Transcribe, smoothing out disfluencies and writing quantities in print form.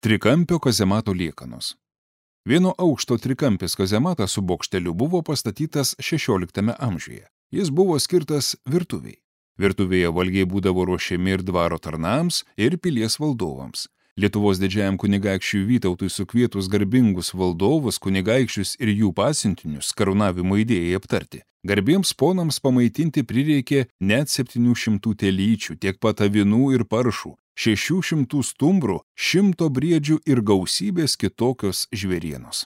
Trikampio kazemato liekanos. Vieno aukšto trikampis kazematas su bokšteliu buvo pastatytas XVI amžiuje. Jis buvo skirtas virtuviai. Virtuvėje valgiai būdavo ruošiami ir dvaro tarnams, ir pilies valdovams. Lietuvos didžiajam kunigaikščiui Vytautui sukvietus garbingus valdovus, kunigaikščius ir jų pasiuntinius karūnavimo idėjai aptarti. Garbiems ponams pamaitinti prireikė net 700 telyčių, tiek pat avinų ir paršų, 600 stumbrų, 100 briedžių ir gausybės kitokios žvėrienos.